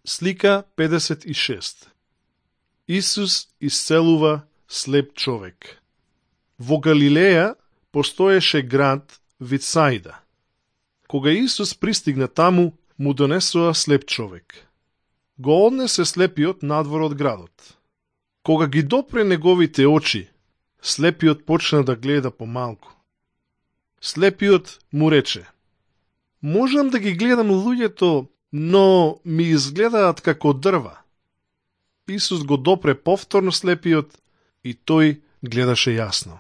Слика 56. Исус исцелува слеп човек. Во Галилеја постоеше град Витсаида. Кога Исус пристигна таму, му донесоа слеп човек. Го однесе слепиот надвор од градот. Кога ги допре неговите очи, слепиот почна да гледа помалку. Слепиот му рече: можам да ги гледам луѓето, но ми изгледаат како дрва. Исус го допре повторно слепиот и тој гледаше јасно.